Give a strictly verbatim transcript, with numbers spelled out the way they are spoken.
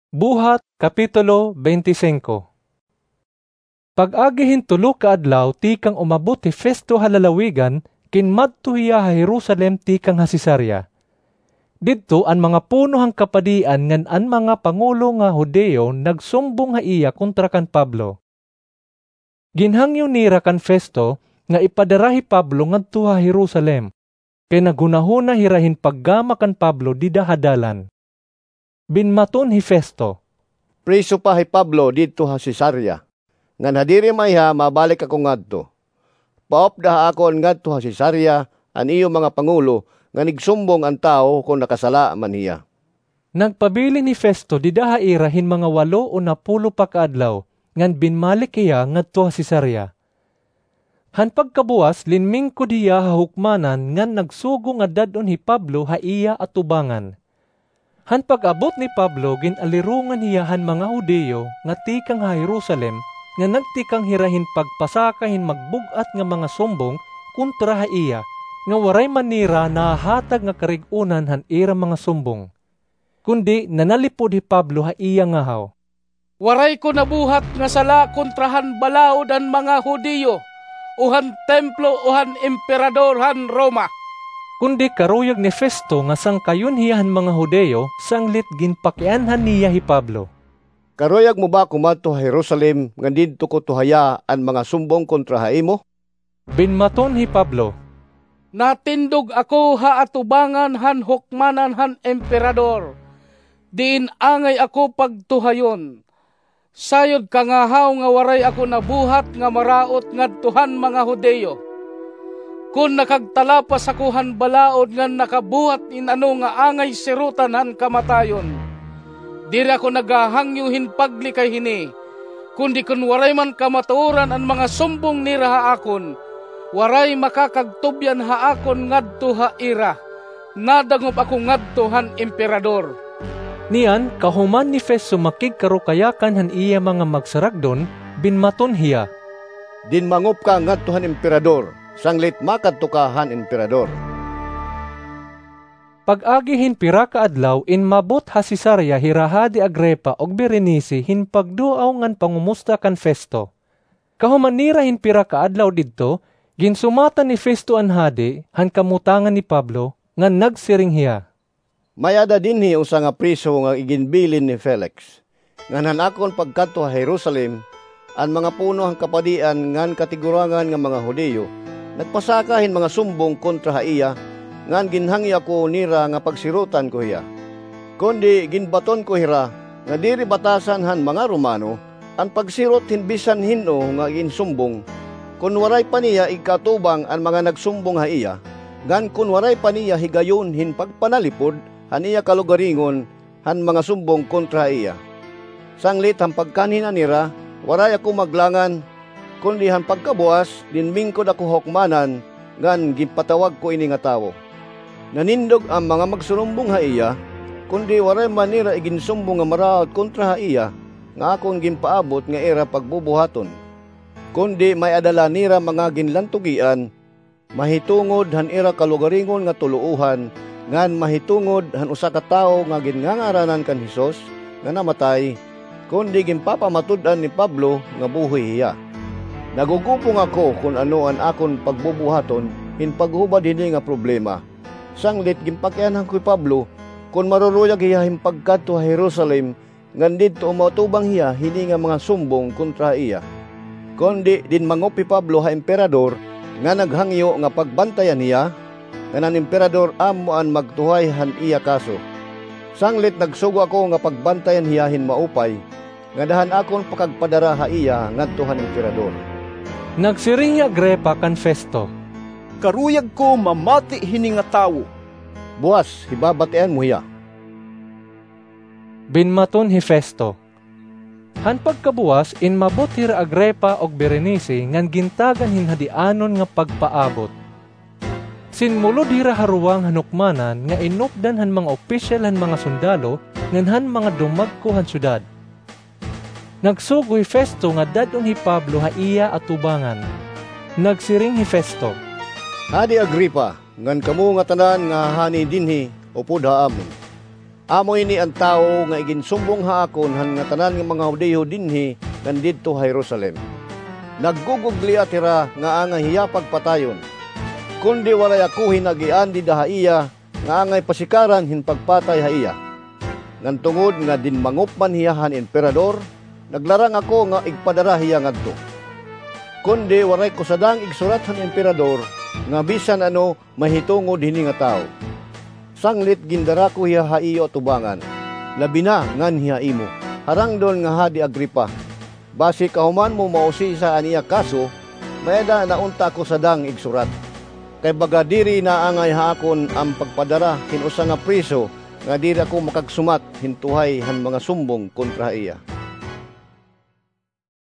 Buhat, Kapitulo twenty-five. Pag-agi hin tulo ka adlaw tikang umabot hi Festo ha lalawigan, kinmadto hiya ha Jerusalem tikang ha Cesarea. Didto an mga puno han kapadian ngan an mga pangulo nga Judio nagsumbong ha iya kontra kan Pablo. Ginhangyo nira kan Festo nga ipadara hi Pablo ngadto ha Jerusalem, kay naghunahuna hira hin paggama kan Pablo dida ha dalan. Binmaton hi Festo, "Priso pa hi Pablo didto ha Cesarea, ngan ha diri maiha mabalik ako ngadto. Paupda ha akon ngadto ha Cesarea an iyo mga pangulo ngan igsumbong an tawo kon nakasala man hiya." Nagpabilin hi Festo dida ha ira hin mga walo o napulo pa ka adlaw, ngan binmalik hiya ngadto ha Cesarea. Han pagkabuwas, linmingkod hiya ha hukmanan ngan nagsugo nga dad-on hi Pablo ha iya atubangan. Han pag-abot ni Pablo, gin-alirongan hiya han mga Judio nga tikang ha Jerusalem, nga nagtikang hira hin pagpasaka hin magbug-at nga mga sumbong kontra ha iya, nga waray man nira nahahatag nga karig-onan han ira mga sumbong. Kundi nanalipod hi Pablo ha iya ngahaw, "Waray ko nabuhat nga sala kontra han balaod han mga Judio, o han templo, o han emperador han Roma." Kundi karuyag ni Festo nga sangkayon hiya han mga Judio, sanglit ginpakianhan niya hi Pablo. "Karuyag mo ba ako madto ha Jerusalem ngan didto ko tuhaya an mga sumbong kontra ha imo?" Binmaton hi Pablo, "Natindog ako ha atubangan han hukmanan han emperador, diin angay ako pagtuhayon. Sayod kangahaw nga waray ako nabuhat nga maraot ngadto han mga Judio. Kon nakagtalapas ako han balaod ngan nakabuhat hin ano nga angay sirotan han kamatayon, diri ako naghahangyo hin paglikay hini, kundi kon waray man kamatuoran an mga sumbong nira ha akon, waray makakagtubyan ha akon ngadto ha ira. Nadangop ako ngadto han emperador." Niyan, kahuman ni Festo makigkarukayakan han iya mga magsaragdon, binmaton hiya, "Dinmangop ka ngadto han emperador, sanglit makadto ka han emperador." Pag-agi hin pira ka adlaw, inmabot ha Cesarea hira Hadi Agripa ug Berenice hin pagduaw ngan pangumusta kan Festo. Kahuman nira hin pira ka adlaw didto, ginsumatan ni Festo an hadi han kamutangan ni Pablo, ngan nagsiring hiya, "May-ada dinhi usa nga priso nga iginbilin ni Felix. Ngan han akon pagkadto ha Jerusalem, an mga puno han kapadian ngan katigurangan nga mga Judio nagpasaka hin mga sumbong kontra ha iya, ngan ginhangyo ako nira nga pagsirotan ko hiya. Kundi ginbaton ko hira nga diri batasan han mga Romano an pagsirot hin bisan hin-o nga ginsumbong, kon waray pa niya igkaatubang an mga nagsumbong ha iya, ngan kon waray pa niya higayon hin pagpanalipod han iya kalugaringon han mga sumbong kontra ha iya. Sanglit han pagkanhi na nira, waray ako maglangan, kundi han pagkabuwas, linmingkod ako ha hukmanan, ngan ginpatawag ko ini nga tawo. Nanindog an mga magsurumbong ha iya, kundi waray man nira iginsumbong nga maraot kontra ha iya nga akon ginpaabot nga ira pagbubuhaton. Kundi may-ada la nira mga ginlantugian, mahitungod han ira kalugaringon nga tuloohan, ngan mahitungod han usa ka tawo nga ginngangaranan kan Jesus nga namatay, kundi ginpapamatud-an ni Pablo nga buhi hiya. Nagugupong ako kon ano an akon pagbubuhaton hin paghubad hini nga problema. Sanglit ginpakianhan ko hi Pablo kon maruruyag hiya hin pagkadto ha Jerusalem, ngan didto umatubang hiya hini nga mga sumbong kontra ha iya. Kundi dinmangop hi Pablo ha Emperador nga naghangyo nga pagbantayan hiya, ngan an Emperador amo an magtuhay han iya kaso. Sanglit nagsugo ako nga pagbantayan hiya hin maupay, ngada han akon pakagpadara ha iya ngadto han Emperador." Nagsiring hi Agripa kan Festo, "Karuyag ko mamati hini nga tawo." "Buwas, hibabatian mo hiya," binmaton hi Festo. Han pagkabuwas, inmabot hira Agripa ug Berenice ngan gintagan hin hadianon nga pagpaabot. Sinmulod hira ha ruwang han hukmanan nga inupdan han mga opisyal han mga sundalo ngan han mga dumagko han syudad. Nagsugo hi Festo nga dad-on hi Pablo ha iya atubangan. Nagsiring hi Festo, "Hadi Agripa, ngan kamo ngatanan nga hani dinhi upod ha amon. Amo ini an tawo nga iginsumbong ha akon han ngatanan nga mga Judio dinhi ngan didto ha Jerusalem. Naggugugliat hira nga angay hiya pagpatayon. Kundi waray ako hinagian dida ha iya nga angay pasikaran hin pagpatay ha iya. Ngan tungod nga dinmangop man hiya han Emperador, naglarang ako nga igpadara hiya ngadto. Kundi waray ko sadang igsurat han Emperador nga bisan ano mahitungod hini nga tawo. Sanglit gindara ko hiya ha iyo atubangan, labi na nganhi ha imo, harangdon nga Hadi Agripa. Basi kahuman mo mausisa an iya kaso, may-ada na unta ako sadang igsurat. Kay baga diri naangay ha akon an pagpadara hin usa nga preso nga diri ako makagsumat hin tuhay han mga sumbong kontra ha iya.